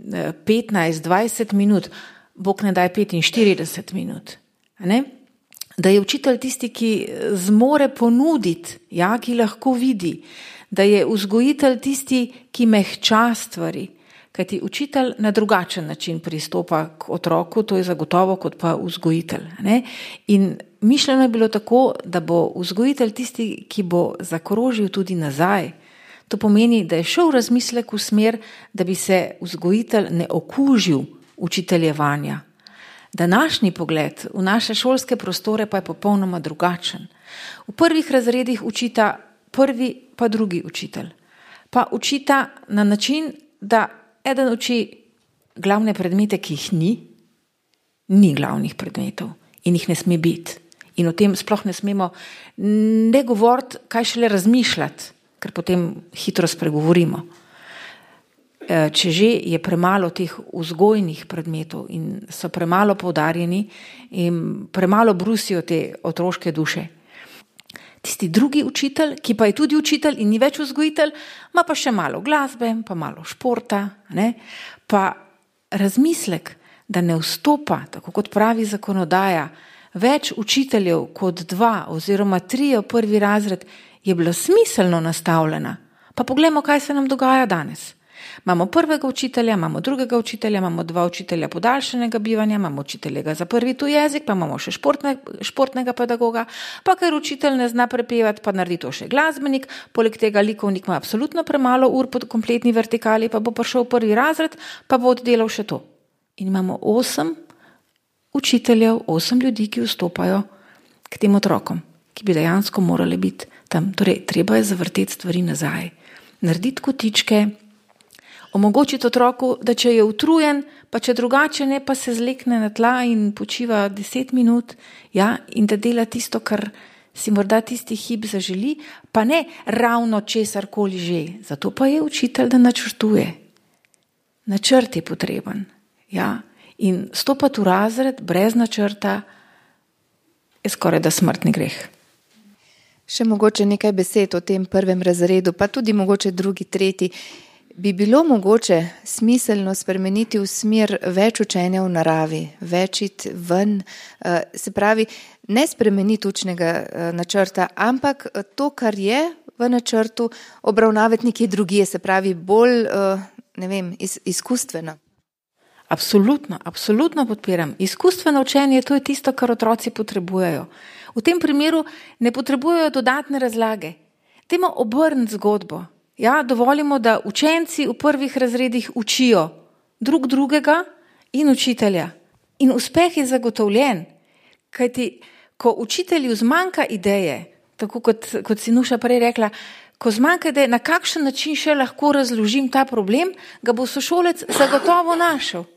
15-20 minut, bog ne daj 45 minut. Ne? Da je učitelj tisti, ki zmore ponuditi, ja, ki lahko vidi, da je vzgojitelj tisti, ki mehča stvari, kajti učitelj na drugačen način pristopa k otroku, to je zagotovo kot pa vzgojitelj. Ne? In mišljeno je bilo tako, da bo vzgojitelj tisti, ki bo zakrožil tudi nazaj. To pomeni, da je šel razmislek v smer, da bi se vzgojitelj ne okužil učiteljevanja. Današnji pogled v naše šolske prostore pa je popolnoma drugačen. V prvih razredih učita prvi pa drugi učitelj. Pa učita na način, da eden uči glavne predmete, ki jih ni glavnih predmetov in jih ne sme biti. In o tem sploh ne smemo ne govoriti, kaj šele razmišljati, ker potem hitro spregovorimo. Če že je premalo teh vzgojnih predmetov in so premalo poudarjeni in premalo brusijo te otroške duše. Tisti drugi učitelj, ki pa je tudi učitelj in ni več vzgojitelj, ima pa še malo glasbe, pa malo športa, ne? Pa razmislek, da ne vstopa, tako kot pravi zakonodaja, več učiteljev kot 2 oziroma 3 v prvi razred, je bila smiselno nastavljena. Pa poglejmo, kaj se nam dogaja danes. Imamo prvega učitelja, imamo drugega učitelja, imamo 2 učitelja podaljšanega bivanja, imamo učitelja za prvi tuj jezik, pa imamo še športnega pedagoga, pa ker učitelj ne zna prepevati, pa naredi to še glasbenik, poleg tega likovnik ima absolutno premalo ur po kompletni vertikali, pa bo prišel v 1. razred, pa bo oddelal še to. In imamo 8 učiteljev, 8 ljudi, ki vstopajo k tem otrokom, ki bi dejansko morali biti tam. Torej, treba je zavrteti stvari nazaj, narediti kotičke, omogočiti otroku, da če je utrujen, pa če drugače ne, pa se zlekne na tla in počiva 10 minut, ja, in da dela tisto, kar si morda tisti hip zaželi, pa ne ravno česarkoli že. Zato pa je učitelj, da načrtuje. Načrt je potreben, ja. In stopati v razred brez načrta je skoraj da smrtni greh. Še mogoče nekaj besed o tem 1. razredu, pa tudi mogoče 2., 3. Bi bilo mogoče smiselno spremeniti v smer več učenja v naravi, več iti ven, se pravi, ne spremeniti učnega načrta, ampak to, kar je v načrtu, obravnavati nekje drugje, se pravi, bolj, izkustveno. Absolutno podpiram. Izkustveno učenje, to je tisto, kar otroci potrebujejo. V tem primeru ne potrebujejo dodatne razlage. Dajmo obrniti zgodbo. Ja, dovolimo, da učenci v 1. razredih učijo drug drugega in učitelja. In uspeh je zagotovljen. Kajti, ko učitelju zmanjka ideje, tako kot si Nuša prej rekla, ko zmanjka ideje, na kakšen način še lahko razložim ta problem, ga bo sošolec zagotovo našel.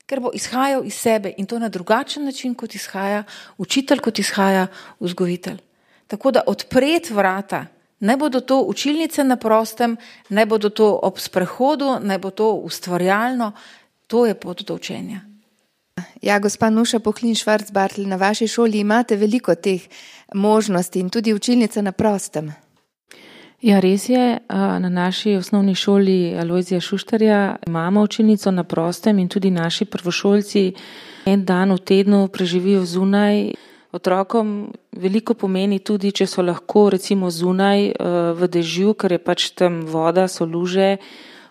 Ker bo izhajal iz sebe in to na drugačen način, kot izhaja učitelj, kot izhaja vzgojitelj. Tako da odpreti vrata, naj bodo to učilnice na prostem, naj bodo to ob sprehodu, naj bo to ustvarjalno, to je pot do učenja. Ja, gospa Nuša Pohlin-Švarc-Bartl, na vaši šoli imate veliko teh možnosti in tudi učilnica na prostem. Ja, res je, na naši osnovni šoli Alojzija Šuštarja imamo učilnico na prostem in tudi naši prvošolci en dan v tednu preživijo zunaj. Otrokom veliko pomeni tudi, če so lahko recimo zunaj v dežju, ker je pač tam voda, so luže,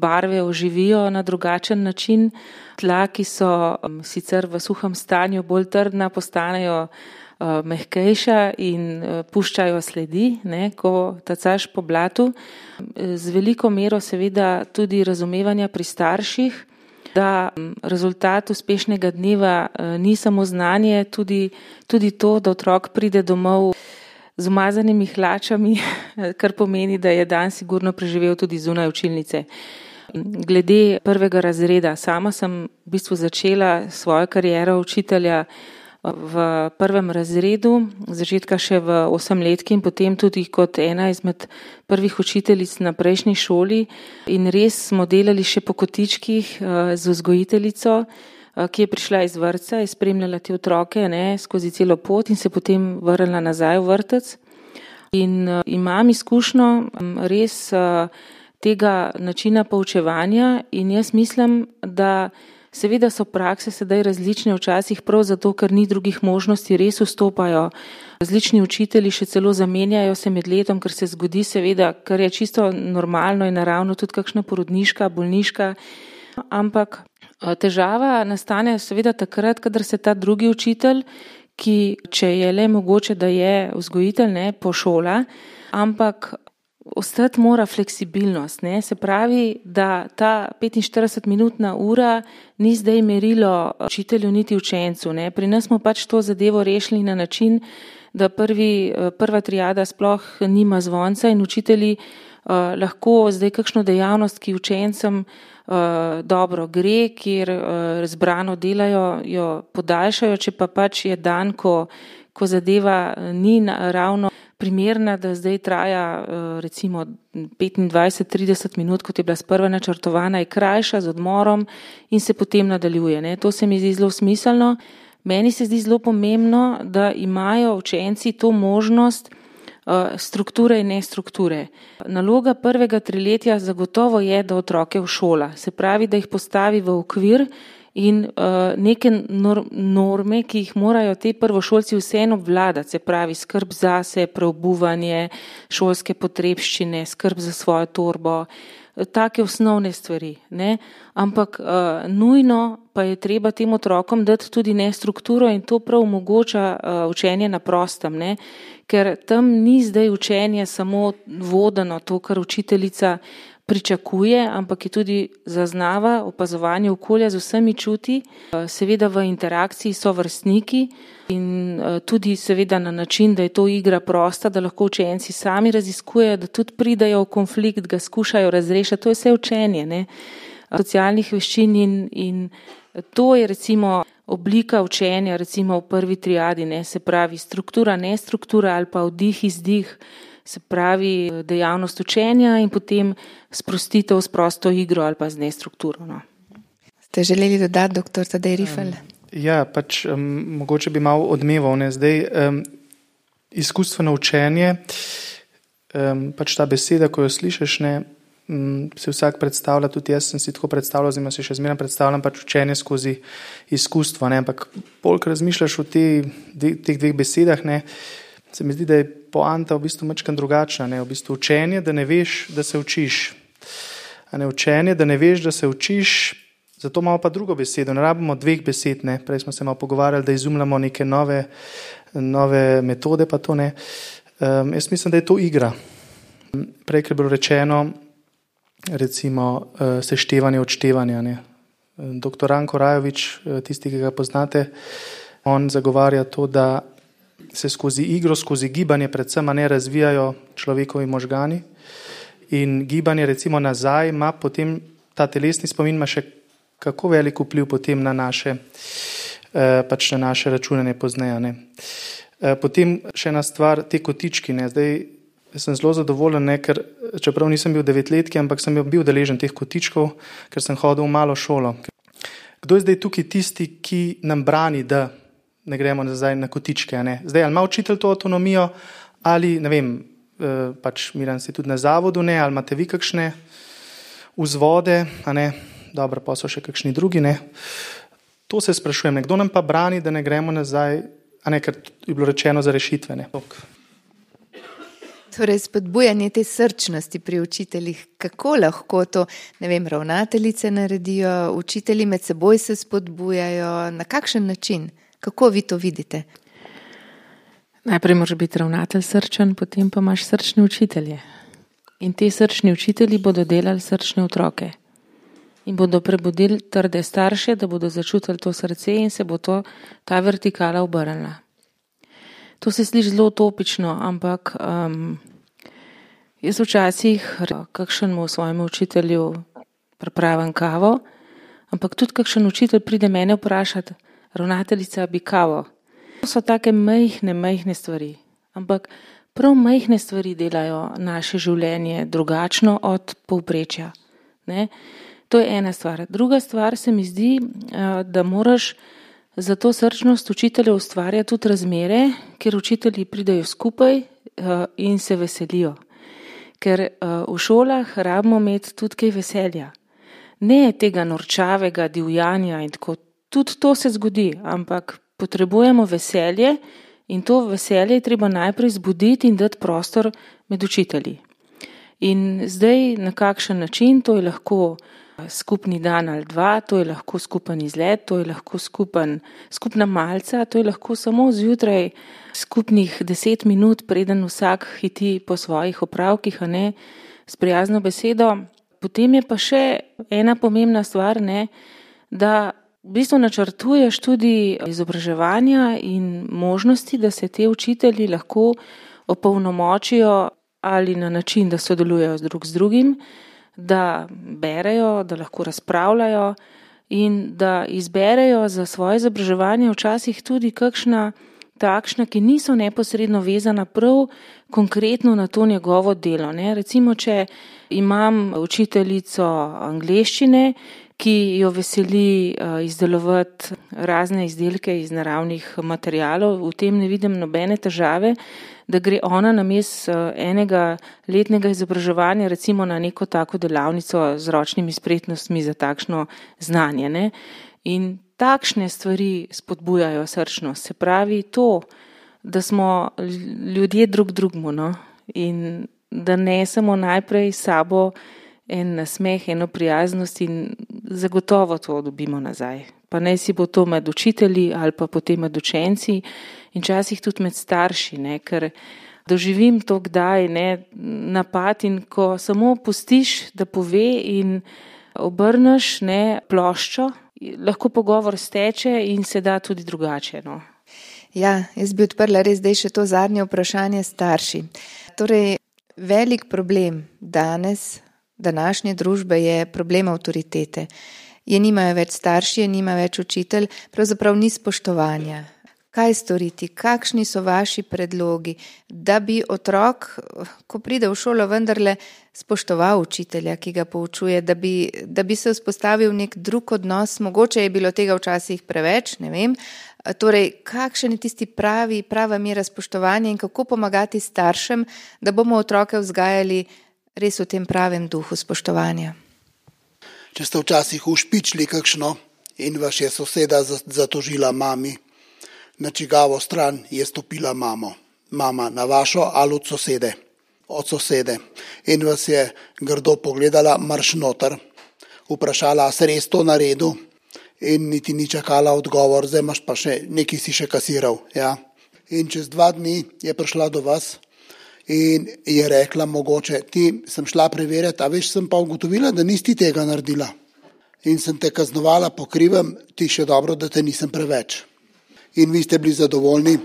barve oživijo na drugačen način. Tla, ki so sicer v suhem stanju bolj trdna, postanejo mehkejša in puščajo sledi, ko tacaš po blatu. Z veliko mero seveda tudi razumevanja pri starših, da rezultat uspešnega dneva ni samo znanje, tudi to, da otrok pride domov z umazanimi hlačami, kar pomeni, da je dan sigurno preživel tudi zunaj učilnice. Glede 1. razreda, sama sem v bistvu začela svojo kariero učitelja v 1. razredu, začetka še v 8-letki in potem tudi kot ena izmed prvih učiteljic na prejšnji šoli in res smo delali še po kotičkih z vzgojiteljico, ki je prišla iz vrtca, je spremljala te otroke skozi celo pot in se potem vrnila nazaj v vrtec. In imam izkušnjo res tega načina poučevanja in jaz mislim, da seveda so prakse sedaj različne, včasih prav zato, ker ni drugih možnosti, res vstopajo. Različni učitelji še celo zamenjajo se med letom, ker se zgodi seveda, kar je čisto normalno in naravno, tudi kakšna porodniška, bolniška. Ampak težava nastane seveda takrat, kadar se ta drugi učitelj, ki če je le mogoče, da je vzgojitelj, pošola, ampak ostati mora fleksibilnost, se pravi, da ta 45-minutna ura ni zdaj merilo učitelju niti učencu. Pri nas smo pač to zadevo rešili na način, da prva triada sploh nima zvonca in učitelji lahko zdaj kakšno dejavnost, ki učencem dobro gre, kjer zbrano delajo, jo podaljšajo, če pa pač je dan, ko zadeva ni ravno primerna, da zdaj traja recimo 25-30 minut, kot je bila sprva načrtovana, je krajša z odmorom in se potem nadaljuje. To se mi zdi zelo smiselno. Meni se zdi zelo pomembno, da imajo učenci to možnost strukture in nestrukture. Naloga 1. triletja zagotovo je, da otroke všola. Se pravi, da jih postavi v okvir in neke norme, ki jih morajo te prvošolci vseeno obvladati, se pravi skrb zase, preobuvanje, šolske potrebščine, skrb za svojo torbo, take osnovne stvari, ne? Ampak nujno pa je treba tem otrokom dati tudi strukturo in to prav omogoča učenje na prostem, ne? Ker tam ni zdaj učenje samo vodeno to, kar učiteljica pričakuje, ampak je tudi zaznava opazovanje okolja z vsemi čuti, seveda v interakciji so vrstniki in tudi seveda na način, da je to igra prosta, da lahko učenci sami raziskujejo, da tudi pridajo v konflikt, ga skušajo razrešiti, to je vse učenje, ne? Socialnih veščin in to je recimo oblika učenja recimo v prvi triadi, ne? Se pravi struktura, nestruktura ali pa vdih, izdih, se pravi dejavnost učenja in potem sprostitev s prosto igro ali pa z nestrukturo. No. Ste želeli dodati, dr. Tadej Rifel? Ja, mogoče bi malo odmeval. Ne? Zdaj, izkustveno učenje, ta beseda, ko jo slišiš, ne, se vsak predstavlja, tudi jaz sem si tako predstavljal, zdaj se še zmeraj predstavljam učenje skozi izkustvo, ne? Ampak bolj razmišljaš o teh dveh besedah, ne? Se mi zdi, da je poanta v bistvu malo drugačna. Ne? V bistvu učenje, da ne veš, da se učiš. A ne učenje, da ne veš, da se učiš, zato imamo pa drugo besedo. Ne rabimo dveh besed. Ne? Prej smo se malo pogovarjali, da izumljamo neke nove metode, pa to ne. Jaz mislim, da je to igra. Prej, ker je bilo rečeno, recimo seštevanje, odštevanje. Ne? Dr. Ranko Rajovič, tisti, ki ga poznate, on zagovarja to, da se skozi igro, skozi gibanje predvsem ne razvijajo človekovi možgani in gibanje recimo nazaj ima potem, ta telesni spomin ima še kako velik vpliv potem na naše na naše računanje pozneje. Ne. Potem še ena stvar, te kotički. Ne. Zdaj sem zelo zadovoljen, ne, ker čeprav nisem bil 9-letki, ampak sem bil deležen teh kotičkov, ker sem hodil v malo šolo. Kdo je zdaj tukaj tisti, ki nam brani, da ne gremo nazaj na kotičke. Ne? Zdaj, ali ima učitelj to avtonomijo, ali, ne vem, Miran si tudi na zavodu, ne? Ali imate vi kakšne vzvode, a ne? Dobro, pa so še kakšni drugi, ne? To se sprašujem, kdo nam pa brani, da ne gremo nazaj, a ne, ker je bilo rečeno za rešitve, ne? Torej, spodbujanje te srčnosti pri učiteljih, kako lahko to, ne vem, ravnateljice naredijo, učitelji med seboj se spodbujajo, na kakšen način? Kako vi to vidite? Najprej moraš biti ravnatelj srčen, potem pa imaš srčne učitelje. In ti srčni učitelji bodo delali srčne otroke. In bodo prebudili trde starše, da bodo začutili to srce in se bo ta vertikala obrnila. To se sliši zelo utopično, ampak jaz včasih kakšnemu svojemu učitelju pripravim kavo, ampak tudi kakšen učitelj pride mene vprašati, ravnateljica bi kavo. To so take majhne stvari, ampak prav majhne stvari delajo naše življenje drugačno od povprečja. Ne? To je ena stvar. Druga stvar se mi zdi, da moraš za to srčnost učitelja ustvarjati tudi razmere, kjer učitelji pridejo skupaj in se veselijo. Ker v šolah rabimo imeti tudi kaj veselja. Ne tega norčavega divjanja in tako. Tudi to se zgodi, ampak potrebujemo veselje in to veselje je treba najprej zbuditi in dati prostor med učitelji. In zdaj na kakšen način, to je lahko skupni dan ali dva, to je lahko skupen izlet, to je lahko skupna malca, to je lahko samo zjutraj skupnih 10 minut, preden vsak hiti po svojih opravkih, a ne, s prijazno besedo. Potem je pa še ena pomembna stvar, ne, da v bistvu načrtuješ tudi izobraževanja in možnosti, da se te učitelji lahko opolnomočijo ali na način, da sodelujejo drug z drugim, da berejo, da lahko razpravljajo in da izberejo za svoje izobraževanje včasih tudi kakšna takšna, ki niso neposredno vezana prav konkretno na to njegovo delo. Ne? Recimo, če imam učiteljico angleščine, ki jo veseli izdelovati razne izdelke iz naravnih materialov, v tem ne vidim nobene težave, da gre ona namesto enega letnega izobraževanja recimo na neko tako delavnico z ročnimi spretnostmi za takšno znanje. Ne? In takšne stvari spodbujajo srčnost. Se pravi to, da smo ljudje drug drugmu, no? In da nesemo najprej s sabo en nasmeh, eno prijaznost in zagotovo to dobimo nazaj. Pa naj si bo to med učitelji ali pa potem med učenci in časih tudi med starši, ne, ker doživim to kdaj, ne, napad in ko samo pustiš, da pove in obrneš, ne, ploščo, lahko pogovor steče in se da tudi drugače, no. Ja, jaz bi odprla res zdaj še to zadnje vprašanje starši. Torej, velik problem današnje družbe je problem avtoritete. Je nimajo več starši, je nima več učitelj, pravzaprav ni spoštovanja. Kaj storiti? Kakšni so vaši predlogi, da bi otrok, ko pride v šolo, vendarle spoštoval učitelja, ki ga poučuje, da bi se vzpostavil nek drug odnos, mogoče je bilo tega včasih preveč, ne vem. Torej, kakšen je tisti prava mera spoštovanja in kako pomagati staršem, da bomo otroke vzgajali res v tem pravem duhu spoštovanja? Če ste včasih ušpičili kakšno in vas je soseda zatožila mami, na čigavo stran je stopila mama na vašo ali od sosede in vas je grdo pogledala, marš noter, vprašala, a se res to naredil in niti ni čakala odgovor, zdaj imaš pa še, nekaj si še kasiral. Ja. In čez 2 dni je prišla do vas in je rekla mogoče, ti sem šla preverjati, a veš, sem pa ugotovila, da nisi tega naredila in sem te kaznovala po krivem, ti še dobro, da te nisem preveč. In vi ste bili zadovoljni,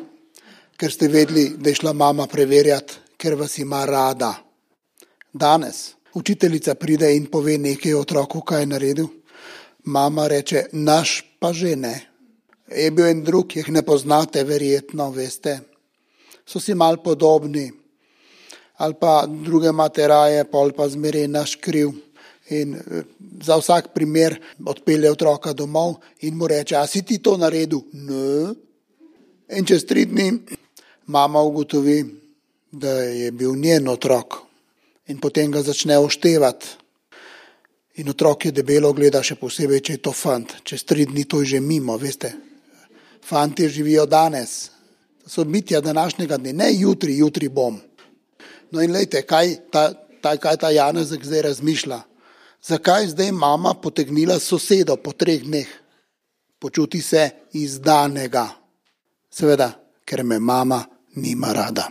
ker ste vedeli, da je šla mama preverjati, ker vas ima rada. Danes učiteljica pride in pove nekaj otroku, kaj je naredil. Mama reče, naš pa že ne. Je bil en drug, jih ne poznate, verjetno, veste. So si mal podobni. Ali pa druge imate raje, pol pa zmeraj naš kriv. In za vsak primer odpelje otroka domov in mu reče, a si ti to naredil? Ne. In čez 3 dni mama ugotovi, da je bil njen otrok in potem ga začne oštevati. In otrok je debelo gleda, še posebej, če je to fant. Čez 3 dni to je že mimo, veste. Fantje živijo danes. To so bitja današnjega dne, ne jutri bom. No in lejte, kaj ta Janezek zdaj razmišlja? Zakaj zdaj mama potegnila sosedo po 3 dneh? Počuti se izdanega. Seveda, ker me mama nima rada.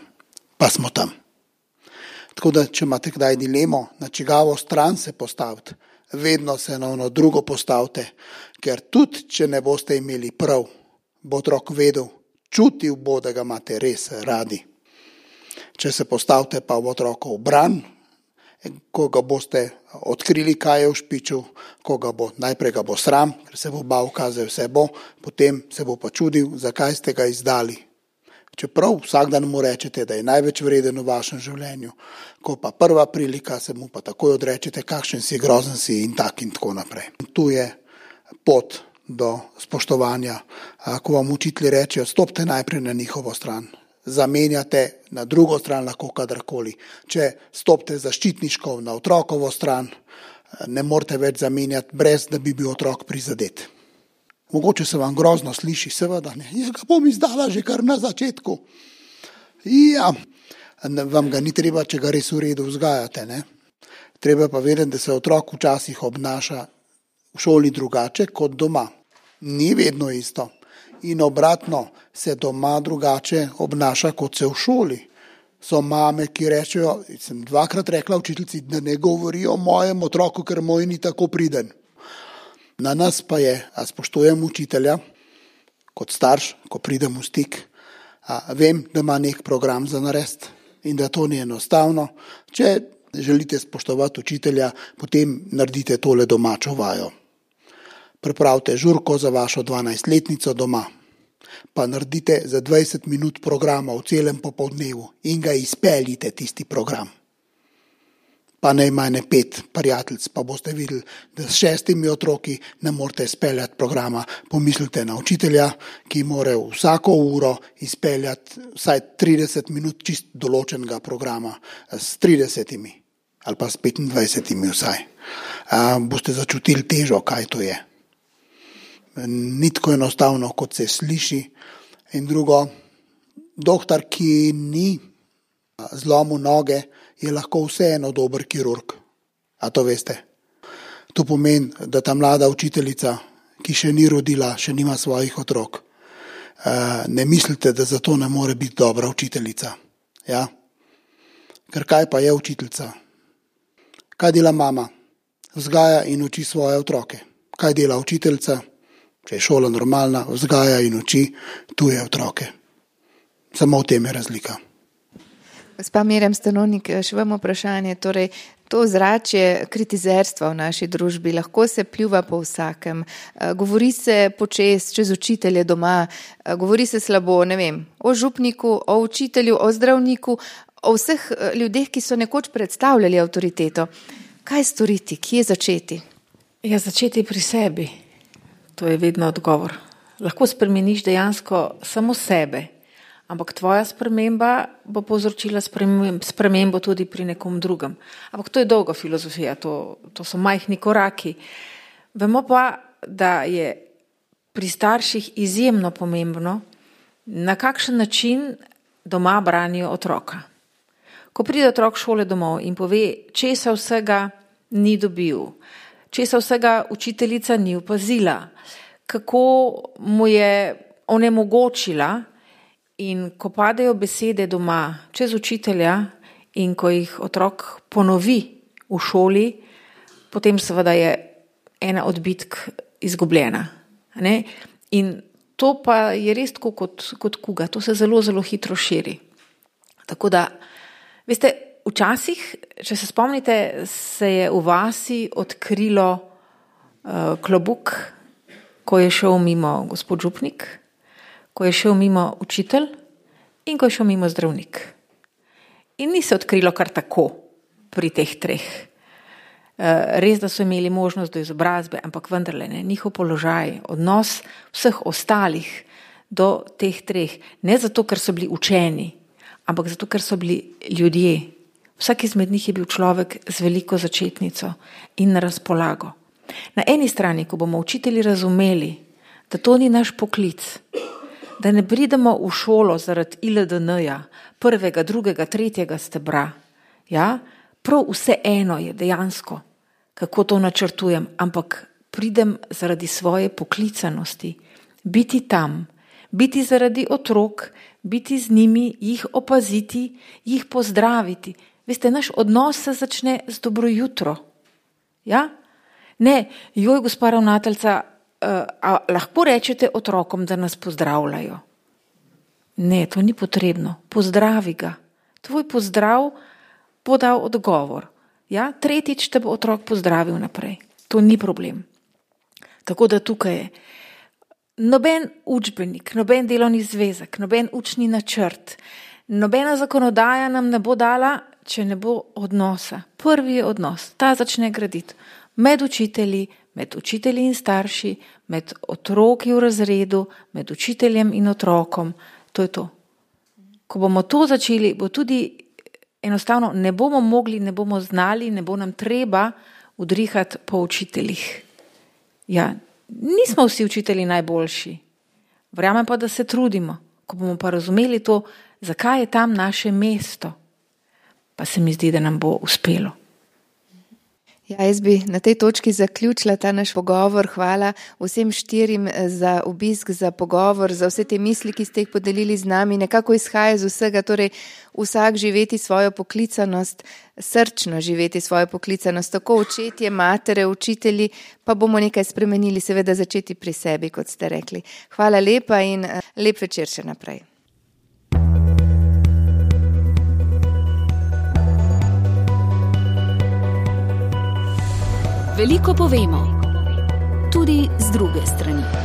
Pa smo tam. Tako da, če imate kdaj dilemo, na čigavo stran se postaviti, vedno se na ono drugo postavite, ker tudi, če ne boste imeli prav, bo otrok vedel, čutil bo, da ga imate res radi. Če se postavite pa v otrokov bran, ko ga boste odkrili, kaj je v špiču, najprej ga bo sram, ker se bo bal, kaj vse bo, potem se bo pa čudil, zakaj ste ga izdali. Čeprav vsak dan mu rečete, da je največ vreden v vašem življenju, ko pa prva prilika se mu pa takoj odrečete, kakšen si, grozen si in tako naprej. Tu je pot do spoštovanja, ko vam učitelji rečejo, stopite najprej na njihovo stran. Zamenjate na drugo stran lahko kadarkoli. Če stopite zaščitniško na otrokovo stran, ne morete več zamenjati, brez da bi bil otrok prizadet. Mogoče se vam grozno sliši, seveda ne. Ja, ga bom izdala že kar na začetku. Ja, vam ga ni treba, če ga res v redu vzgajate, ne. Treba pa vedeti, da se otrok včasih obnaša v šoli drugače kot doma. Ni vedno isto. In obratno, se doma drugače obnaša, kot se v šoli. So mame, ki rečejo, sem 2-krat rekla učiteljici, da ne govori o mojem otroku, ker moj ni tako priden. Na nas pa je, a spoštujem učitelja, kot starš, ko pridem v stik, vem, da ima nek program za narediti in da to ni enostavno. Če želite spoštovati učitelja, potem naredite tole domačo vajo. Pripravite žurko za vašo 12-letnico doma, pa naredite za 20 minut programa v celem popoldnevu in ga izpeljite tisti program. Pa naj ima 5 prijateljic, pa boste videli, da s 6 otroki ne morete izpeljati programa. Pomislite na učitelja, ki mora vsako uro izpeljati vsaj 30 minut čist določenega programa s 30 ali pa s 25 vsaj. Boste začutili težo, kaj to je. Ni tako enostavno, kot se sliši. In drugo, doktor, ki ni zlomil noge, je lahko vseeno dober kirurg. A to veste? To pomeni, da ta mlada učiteljica, ki še ni rodila, še nima svojih otrok, ne mislite, da zato ne more biti dobra učiteljica. Ja? Ker kaj pa je učiteljica? Kaj dela mama? Vzgaja in uči svoje otroke. Kaj dela učiteljica? Če je šola normalna, vzgaja in uči tuje otroke. Samo v tem je razlika. Gospa Mirjam Stanovnik, še vam vprašanje. Torej, to ozračje kritizerstva v naši družbi lahko se pljuva po vsakem. Govori se počez, čez učitelje doma, govori se slabo, ne vem, o župniku, o učitelju, o zdravniku, o vseh ljudeh, ki so nekoč predstavljali avtoriteto. Kaj storiti, kje začeti? Ja, začeti pri sebi. To je vedno odgovor. Lahko spremeniš dejansko samo sebe. Ampak tvoja sprememba bo povzročila spremembo tudi pri nekom drugem. Ampak to je dolga filozofija, to so majhni koraki. Vemo pa, da je pri starših izjemno pomembno, na kakšen način doma branijo otroka. Ko pride otrok šole domov in pove, česa vsega ni dobil, česa vsega učiteljica ni opazila, kako mu je onemogočila. In ko padejo besede doma čez učitelja in ko jih otrok ponovi v šoli, potem seveda je ena od bitk izgubljena. Ne? In to pa je res tako kot kuga, to se zelo, zelo hitro širi. Tako da, veste, včasih, če se spomnite, se je v vasi odkrilo klobuk, ko je šel mimo gospod župnik, ko je šel mimo učitelj in ko je šel mimo zdravnik. In ni se odkrilo kar tako pri teh treh. Res, da so imeli možnost do izobrazbe, ampak vendarle ne, njihov položaj, odnos vseh ostalih do teh treh. Ne zato, ker so bili učeni, ampak zato, ker so bili ljudje. Vsak izmed njih je bil človek z veliko začetnico in na razpolago. Na eni strani, ko bomo učitelji razumeli, da to ni naš poklic, da ne pridemo v šolo zaradi ILDN-ja, 1., 2., 3. stebra. Ja? Prav vse eno je dejansko, kako to načrtujem, ampak pridem zaradi svoje poklicanosti, biti tam, biti zaradi otrok, biti z njimi, jih opaziti, jih pozdraviti. Veste, naš odnos se začne z dobro jutro. Ja? Ne, joj, gospa ravnateljica, a lahko rečete otrokom, da nas pozdravljajo? Ne, to ni potrebno. Pozdravi ga. Tvoj pozdrav bo dal odgovor. Ja? 3. te bo otrok pozdravil naprej. To ni problem. Tako da tukaj je noben učbenik, noben delovni zvezek, noben učni načrt, nobena zakonodaja nam ne bo dala, če ne bo odnosa. Prvi je odnos. Ta začne graditi med učitelji in starši, med otroki v razredu, med učiteljem in otrokom. To je to. Ko bomo to začeli, bo tudi enostavno ne bomo mogli, ne bomo znali, ne bo nam treba udrihati po učiteljih. Ja, nismo vsi učitelji najboljši. Verjamem pa, da se trudimo. Ko bomo pa razumeli to, zakaj je tam naše mesto, pa se mi zdi, da nam bo uspelo. Ja, jaz bi na tej točki zaključila ta naš pogovor. Hvala vsem 4 za obisk, za pogovor, za vse te misli, ki ste jih podelili z nami. Nekako izhaja iz vsega, torej vsak živeti svojo poklicanost, srčno živeti svojo poklicanost, tako očetje, matere, učitelji, pa bomo nekaj spremenili, seveda začeti pri sebi, kot ste rekli. Hvala lepa in lep večer še naprej. Veliko povemo, tudi z druge strani.